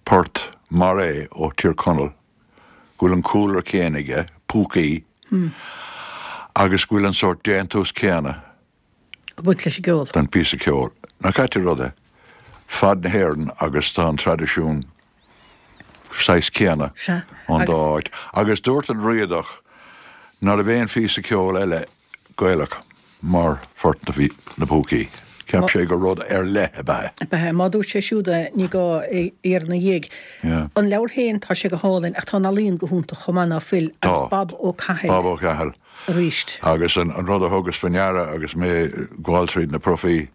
port mar é ó Thír Chonaill, go bhfuil an cúlra céanna aige, púcaí, agus go bhfuil an sórt déantús céanna. Ag baint leis an gceol. Don phíosa ceoil. Nach ait an rud é? Fad na hÉireann agus tá an traidisiún saghas céanna Sea, ón dá agus. áit. Agus dúirt an Riadach ná raibh aon phíosa ceoil eile Gaelach mar Phort na bPúcaí. Cheap sé gur rud ar leith ab ea é. Ab ea é. Má dúirt sé siúd é, ní gá é iarraidh ina dhiaidh. Yeah. An leabhar féin, tá sé go hálainn, ach tá an ealaín go hiontach chomh maith, ná fuil? Tá. Agus Bob Ó Cathail. Bob Ó Cathail. Arís. Agus an rud a thugas faoi ndeara agus mé ag gabháil tríd na profaí,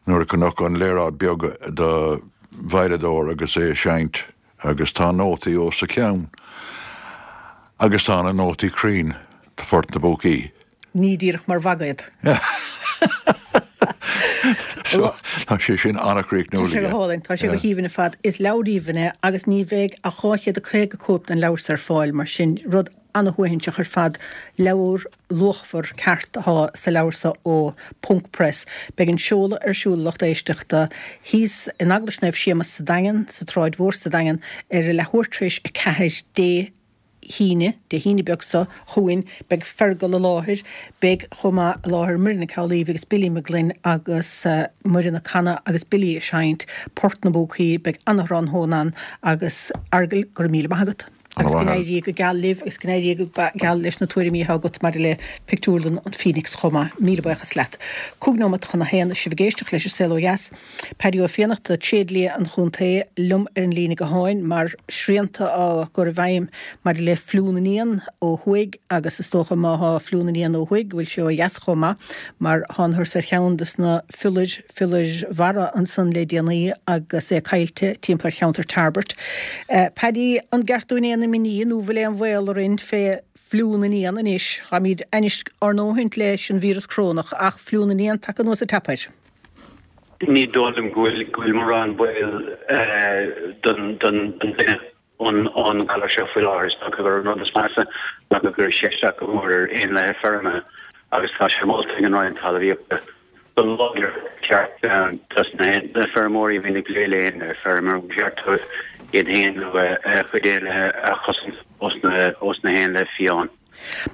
nuair a chonac an léaráid beag de veidhleadóir agus é ag seinnt agus tá nótaí os a chionn agus tá na nótaí cruinn do Phort na bPúcaí. Ní díreach mar mhagaidh. So, tá sé sin an-chríochnúil Tá sé go aige. hálainn, tá sé go haoibhinn ar fad. Is leabhar aoibhinn é agus ní bheidh ach dhá chéad a caoga cóip den leabhar seo ar fáil, mar sin rud ana-shuaithinseach ar fad. Leabhar luachmhar ceart atá sa leabhar seo ó Ponc Press. Beidh an seoladh ar siúl, a lucht éisteachta, thíos in Eaglais Naomh Séamus sa Daingean, sa tSráid Mhór sa Daingean, ar a leathuair tar éis a ceathair Dé hAoine, Dé hAoine beag seo chugainn. Beidh Fergal i láthair. Beidh chomh maith i láthair Muireann Nic Amhlaoibh agus Billy Mag Fhloinn agus Muireann ag canadh agus Billy ag seinnt Port na bPúcaí. Beidh ana-thráthnóna ann agus Fheargal, go raibh míle maith agat. Agus go n-éirí go geal libh agus go n-éirí go geal leis na tuairimí atá agat maidir le pictiúrlann an Phoenix chomh maith. Míle buíochas leat. Cúig nóiméad chun a haon, sibh ag éisteacht leis an Saol Ó Dheas. Paddy Ó Fiannachta, tréidlia an chontae, liom ar an líne gutháin mar srianta á gcur i bhfeidhm maidir le fliú na n-éan ó thuaidh agus is dócha má thá fliú na n-éan ó thuaidh go bhfuil sé ó dheas chomh maith mar thángthas ar cheann des na fiolair, fiolair mhara ansan le déanaí agus é caillte timpeall ar cheantar Tarbert. Paddy, an gceart dúinn aon imní nó bhfuil aon bhaol orainn fé fliú na n-éan anois? Táimid anois ár ndóthaint leis an víreas corónach ach fliú na n-éan tagtha anuas an tap air. Ní dóigh liom go bhfuil go bhfuil mórán baol don don duine ón ón galar seo faoi láthair. Is dócha gur an rud is measa ná go gcuirfidh sé isteach go mór ar éanlaithe feirme agus tá sé molta ag an Roinn Talmhaíochta go láidir ceart dos na feirmeoirí a bhíonn ag plé le éanlaithe feirme gur cheart dóibh iad féin nó a gcuid éanlaithe a chosaint ós na ós na héanlaithe fiáin,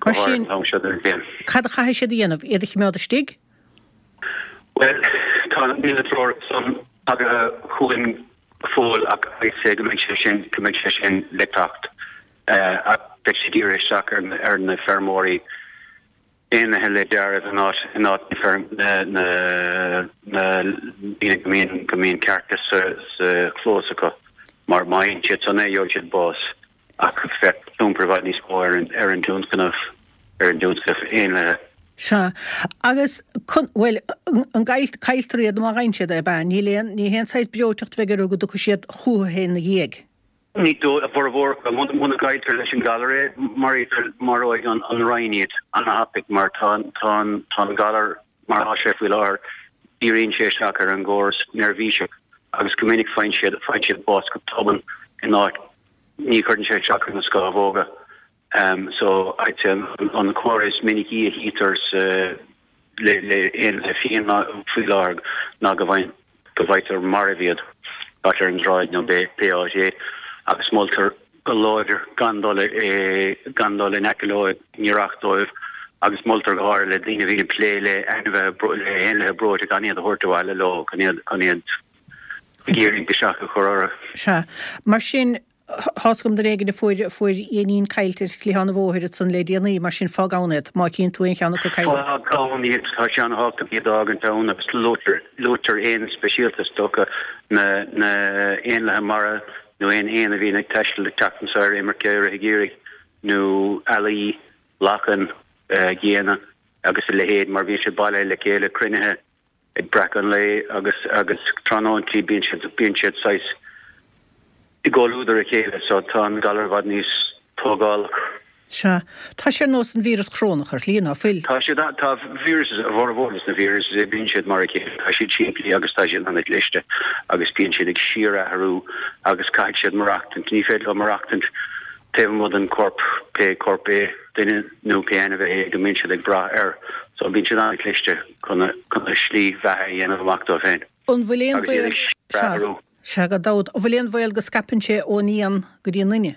go Mar háirithe sin, an t-am seo den bhliain. cad a chaithfidh siad a dhéanamh? Iad a choimeád istigh? Bhuel, tá níl na treoracha san tagtha chugainn go fóill ach I'd say go mbeidh sé sin go mbeidh sé sin le teacht ach beidh sé dírithe isteach ar na ar na feirmeoirí éanlaithe le dealramh in áit in áit na na na daoine go mbíonn go mbíonn cearca sa sa chlós acu mar má fhaigheann siad san é gheobhaidh siad bás ach bheadh tionchar i bhfad níos mó ar an ar an dtionscnamh ar an dtionscnamh éanlaithe. Sea. Agus con, bhuel, an gcaill, cailltear iad má fhaigheann siad é, ab ea? Níl aon, ní haon saghas breoiteacht a bheidh orthu go dtiocfaidh siad chucu féin ina dhiaidh. Ní dóigh, a bhformhór acu, muna gcailltear leis an galar é, maraítear, maróidh an Roinn iad ana-thapaidh mar tá an, tá an, tá an galar mar atá sé faoi láthair, díríonn sé isteach ar an gcóras neirbhíseach agus go minic faigheann siad, faigheann siad bás go tobann in áit, ní chuireann sé isteach ar na scamhóga. So, I'd say an comhartha is minicí a chítear sa, le le éanlaithe fiáin faoi láthair ná go bhfaigheann go bhfaightear marbh iad, b'fhéidir ar an tsráid nó pé áit é, agus moltar go láidir gan dul gan dul in aice leo i ngiorracht dóibh Agus moltar go háirithe le daoine a bhíonn ag plé le ainmhithe, le héanlaithe breoite gan iad a thabhairt abhaile leo, chun iad, chun iad ag iarraidh biseach a chur orthu. Sea. Mar sin, tá's agam duine éigin a fuair, fuair éinín caillte ar chliathán an bhóthair ansan le déanaí, mar sin fág ann iad, má chíonn tú aon cheann acu caillte. Fág ann iad, tá sé an-thábhachtach iad a fhágaint ann agus luaitear, luaitear éin speisialta is dócha, na, na éanlaithe mara nó aon éan a bhíonn ag taisteal ag teacht anso ar imirce i rith an gheimhridh nó ealaí, lachain, géanna agus a leithéid mar bíonn siad bailithe le chéile, cruinnithe ag breacadh an lae agus agus tráthnóintí bíonn siad bíonn siad saghas i gcomhluadar a chéile so tá an galar i bhfad níos tógálach. Sea. Tá sé ar nós an víreas corónach ar shlí, ná fuil? Tá siad, tá viruses, a bhformhór de na viruses, bíonn siad mar a chéile, tá siad simplí agus tá siad an-chliste agus bíonn siad ag síorathrú agus caithfidh siad maireachtaint, ní féidir leo maireachtaint taobh amuigh den chorp, pé corp é, duine nó pé ainmhí é go mbíonn siad ag brath air. So bíonn siad an-chliste chun a chun a slí bheatha a dhéanamh amach dóibh féin. An bhfuil aon Agus iad bhaol, ag sea, síorathrú. sea, gan dabht, an bhfuil aon bhaol go scaipeann sé ón éan go dtí an duine?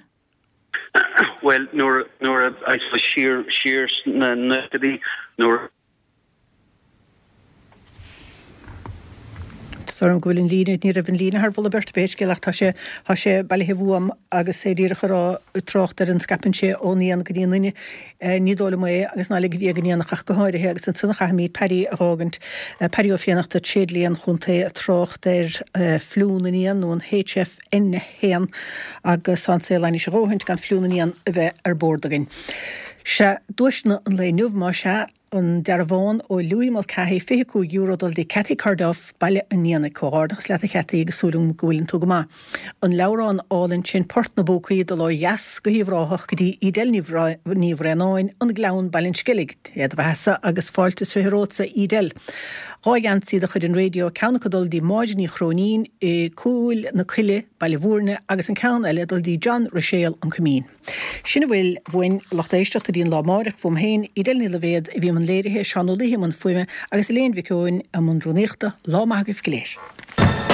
Bhuel, nuair, nuair a, I suppose siar, siar sna naochadaí, nuair a. Tá orm go bhfuil an líne, ní raibh an líne thar mholadh beirte pé scéal ach tá sé, tá sé bailithe uaim agus é díreach ag rá, ag trácht ar an scaipeann sé ón éan go dtí an duine, ní dóigh liom é agus ná ligfidh Dia don éanach ach go háirithe agus ansan a chaithfimid Paddy a dh'fhágaint, Paddy Ó Fiannachta, Tréidlia an Chontae ag trácht ar fliú na n-éan nó an H F N a haon agus tá an saol ainnis a dhóthaint gan fliú na n-éan a bheith ar bord againn. Sea, duaiseanna an lae inniu, más ea. An dearbhán ó Louis Mulcahy, fiche cúig euro dul dtí Cathy Corduff, Baile an Éanaigh. Comhghairdeachas leat a Chathy agus súil agam go bhfuileann tú go maith. An leabhrán álainn sin Port na bPúcaí dul ó dheas go hUíbh Ráthach go dtí Edel Ní Bhraonáin, An Gleann, Baile an Sceilg. Dé do bheathasa agus fáilte is fiche romhatsa Edel. Dhá gheansaí de chuid an raidió, ceann acu dul dtí Máire Ní Chróinín i Cúil na Coille, Baile Bhúirne agus an ceann eile dul dtí John Ruiséal, An Coimín. Sin a bhfuil uainn, a lucht éisteachta, go dtí an lá amáireach, uaim féin, Edel Ní Loibhéad, a bhí i mbun léirithe, Seán Ó Laoithe i mbun fuaime agus Elaine Mhic Eoin i mbun rúnaíochta. Lá maith agaibh go léir.